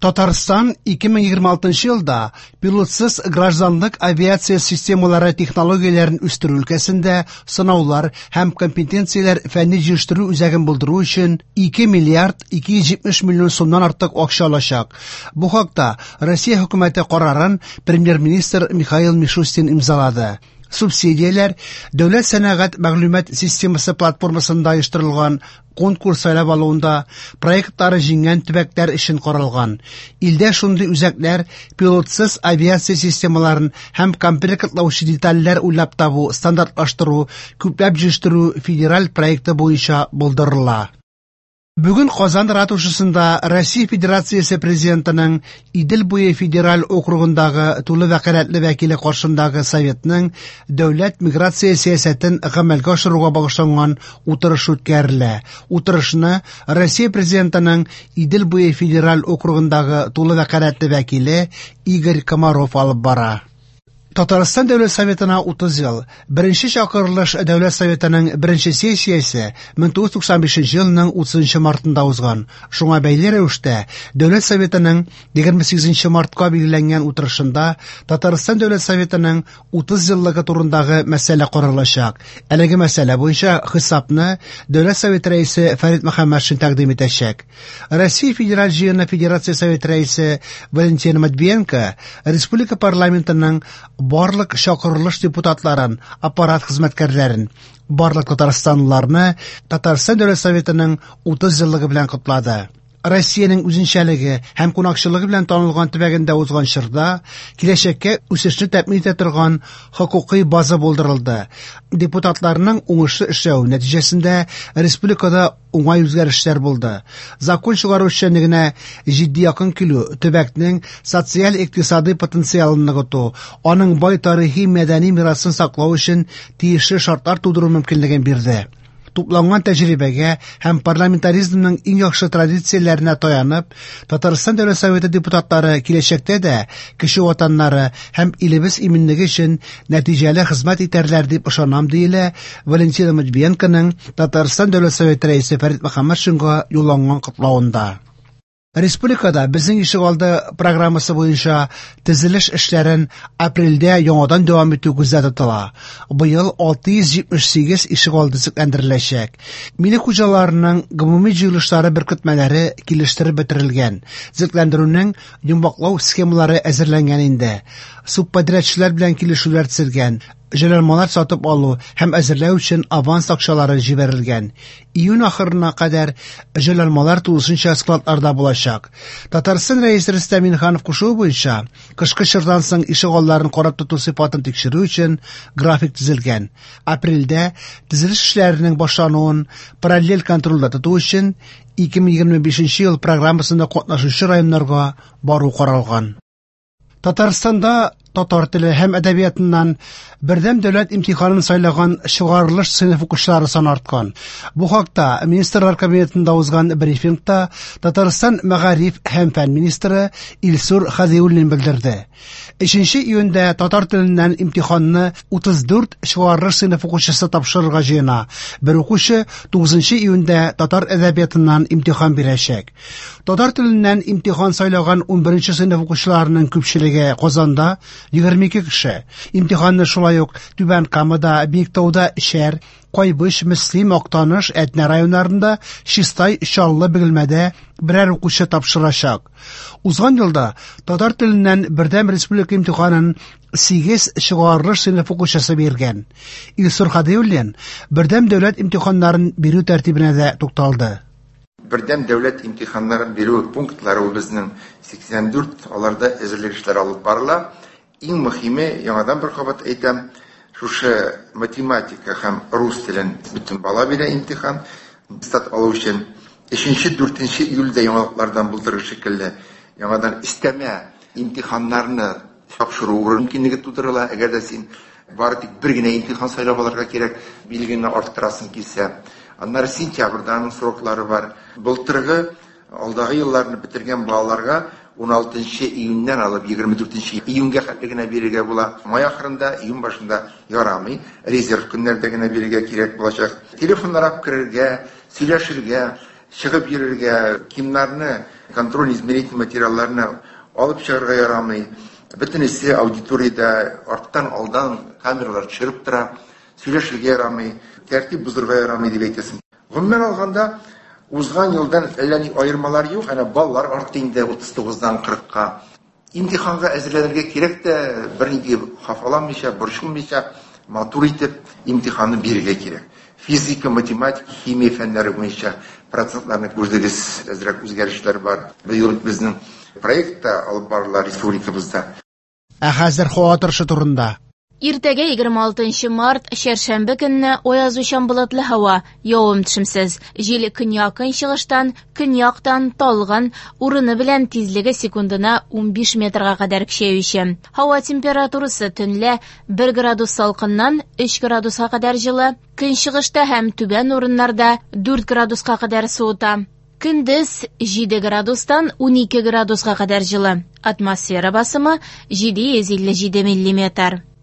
Татарстан 2026 елда пилотсыз гражданлык авиация системалары технологияләрен үстерү өлкәсендә сынаулар һәм компетенцияләр фәнни-җитештерү үзәген булдыру өчен 2 миллиард 270 миллион сумнан артык акча алачак. Бу хакта Россия хөкүмәте карарын премьер-министр Михаил Мишустин имзалады. Субсидияләр Дәүләт сәнәгать мәгълүмат системасы платформасында оештырылган конкурс сайлап алуында проектлары җиңгән төбәкләр өчен каралган. Илдә шундый үзәкләр пилотсыз авиация системаларын һәм комплектлаучы детальләр уйлап табу, стандартлаштыру, күпләп җитештерү федераль проекты буенча булдырыла. Бүген Казан ратушасында Россия Федерациясе Президентының Идел буе федераль округындагы тулы вәкаләтле вәкиле каршындагы Советның дәүләт миграция сәясәтен гамәлгә ашыруга багышланган утырыш үткәрелә. Утырышны Россия Президентының Идел буе федераль округындагы тулы вәкаләтле вәкиле Игорь Комаров алып бара. Татарстан Дәүләт Советына 30 ел. Беренче чакырылыш Дәүләт Советының беренче сессиясе 1995 елның 30 мартында узган. Шуңа бәйле рәвештә Дәүләт Советының 28 мартка билгеләнгән утырышында Татарстан Дәүләт Советының 30 еллыгы турындагы мәсьәлә каралачак. Әлеге мәсьәлә буенча хисапны Дәүләт Советы рәисе Фәрит Мөхәммәтшин тәкъдим итәчәк. Россия Федераль Җыены Федерация Советы рәисе Валентина Матвиенко республика парламентының барлык чакырылыш депутатларын, аппарат хезмәткәрләрен, барлык татарстанлыларны Татарстан Дәүләт Советының 30 еллыгы белән котлады. Россиянең үзенчәлеге һәм кунакчылыгы белән танылган төбәгендә узган чорда киләчәккә үсешне тәэмин итә торган хокукый база булдырылды. Депутатларның уңышлы эшләве нәтиҗәсендә республикада уңай үзгәрешләр булды. Закон чыгару эшчәнлегенә җитди якын килү, төбәкнең социаль-икътисадый потенциалын ныгыту, аның бай тарихи мәдәни мирасын саклау өчен тиешле шартлар тудыру мөмкинлеген бирде. Тупланган тәҗрибәгә һәм парламентаризмның иң яхшы традицияләренә таянып, Татарстан Дәүләт Советы депутатлары киләчәктә дә кече ватаннары һәм илебез иминлеге өчен нәтиҗәле хезмәт итәрләр дип ышанам, диелә Валентина Матвиенконың Татарстан Дәүләт Советы рәисе Фәрит Мөхәммәтшинга юлланган котлавында. Республикада Безнең ишегалды программасы буенча төзелеш эшләрен апрельдә яңадан дәвам итү күздә тотыла. Быел 678 ишегалды төзекләндереләчәк. Милек хуҗаларының гомуми җыелышлары беркетмәләре килештереп бетерелгән. Төзекләндерүнең йомгаклау схемалары әзерләнгән инде. Субподрядчылар белән килешүләр төзелгән. Җайланмалар сатып алу һәм әзерләү өчен аванс акчалары җибәрелгән. Июнь ахырына кадәр җайланмалар тулысынча складларда булачак. Татарстан Рәисе Рөстәм Миңнеханов кушуы буенча, кышкы чордан соң ишегалларын карап тоту сыйфатын тикшерү өчен график төзелгән. Апрельдә төзелеш эшләренең башлануын параллель контрольдә тоту өчен 2025 ел программасында катнашучы районнарга бару каралган. Татарстанда татар теле һәм әдәбиятыннан бердәм дәүләт имтиханын сайлаган чыгарылыш сыйныф укучылары саны арткан. Бу хакта Министрлар Кабинетында узган брифингта Татарстан мәгариф һәм фән министры Илсур Хәдиуллин белдерде. 3 июньдә татар теленнән имтиханны 34 чыгарылыш сыйныф укучысы тапшырырга җыена. Бер укучы 9 июньдә татар әдәбиятыннан имтихан бирәчәк. Татар теленнән имтихан сайлаган 11 сыйныф укучыларының күпчелеге Казанда 22 кеше. Имтиханны шулай ук Түбән Камада, Биектауда Шәр, Кайбыч, Мөслим, Актаныш, Әтнә районнарында, Чистай, Чаллы, Бөгелмәдә берәр укучы тапшырачак. Узган елда татар теленнән бердәм республика имтиханын 8 чыгарылыш сыйныф укучысы биргән. Илсур Хадиуллин бердәм дәүләт имтиханнарын бирү тәртибенә дә тукталды. Бердәм дәүләт имтиханнарын бирү пунктлары безнең 84, аларда әзерлек эшләре алып барыла. Иң мөһиме, яңадан бер кабат әйтәм, шушы математика һәм рус телен бөтен бала бирә имтихан, аттестат алу өчен. 3-4 июльдә яңалыклардан булдырыр шикелле, яңадан өстәмә имтиханнарны тапшыру мөмкинлеге тудырыла. Әгәр дә син бары тик бер генә имтихан сайлап алырга кирәк, билгене арттырасың килсә. Аннары сентябрьдә аның сроклары бар. Былтыргы алдагы елларны бетергән балаларга 16 июньнән алып 24 июньгә хәтле генә бирергә була. Май ахырында, июнь башында ярамый. Резерв көннәрдә генә бирергә кирәк булачак. Телефоннар алып керергә, сөйләшергә. Чыгып йөрергә, кимнарны, контроль-измерительный материалларны алып чыгарга ярамый. Бөтенесе аудиториядә арттан алдан камералар төшереп тора. Сөйләшергә ярамый, тәртип бозырга ярамый дип әйтәсең. Гомумән алганда, узган елдан әллә ни аермалар юк, әнә баллар артты инде 39-дан 40-ка. Имтиханга әзерләнергә кирәк тә, бернинди хафаланмыйча, борчылмыйча, матур итеп имтиханны бирергә кирәк. Физика, математика, химия фәннәре буенча процентларны күрдегез, әзрәк үзгәрешләр бар. Быел безнең проект та алып барыла республикабызда. Ә хәзер һава торышы турында. Иртәгә 26 март, чәршәмбе көнне аязучан болытлы һава, явым-төшемсез. Җил көньяк-көнчыгыштан, көньяктан талгын, урыны белән тизлеге секундына 15 метрга кадәр көчәюче. Һава температурасы төнлә 1 градус салкыннан 3 градуска кадәр җылы, көнчыгышта һәм түбән урыннарда 4 градуска кадәр суыта. Көндез 7 градустан 12 градуска кадәр җылы. Атмосфера басымы 757 миллиметр.